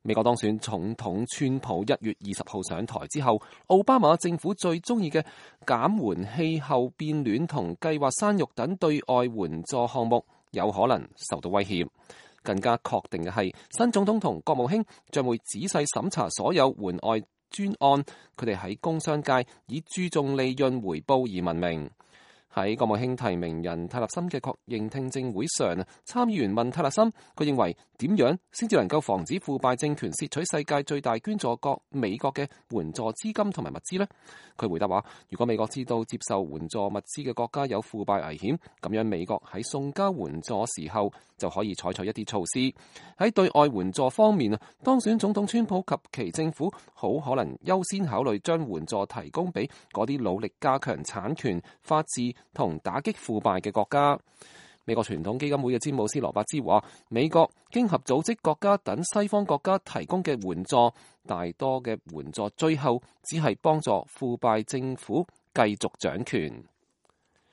美國當選總統川普1月20號上台之後，奧巴馬政府最中意嘅減緩氣候變暖同計劃生育等對外援助項目有可能受到威脅。更加確定嘅係，新總統同國務卿將會仔細審查所有援外專案，佢哋喺工商界以注重利潤回報而聞名。喺國務卿提名人泰勒森嘅確認聽證會上，參議員問泰勒森，佢認為點樣先至能夠防止腐敗政權竊取世界最大捐助國美國嘅援助資金同埋物資呢？佢回答話，如果美國知道接受援助物資嘅國家有腐敗危險，咁樣美國喺送交援助時候就可以採取一啲措施。喺對外援助方面，當選總統川普及其政府好可能優先考慮將援助提供俾嗰啲努力加強產權、法治同打擊腐敗嘅國家。美國傳統基金會嘅詹姆斯羅伯茲話，美國經合組織國家等西方國家提供嘅援助，大多嘅援助最後只係幫助腐敗政府繼續掌權。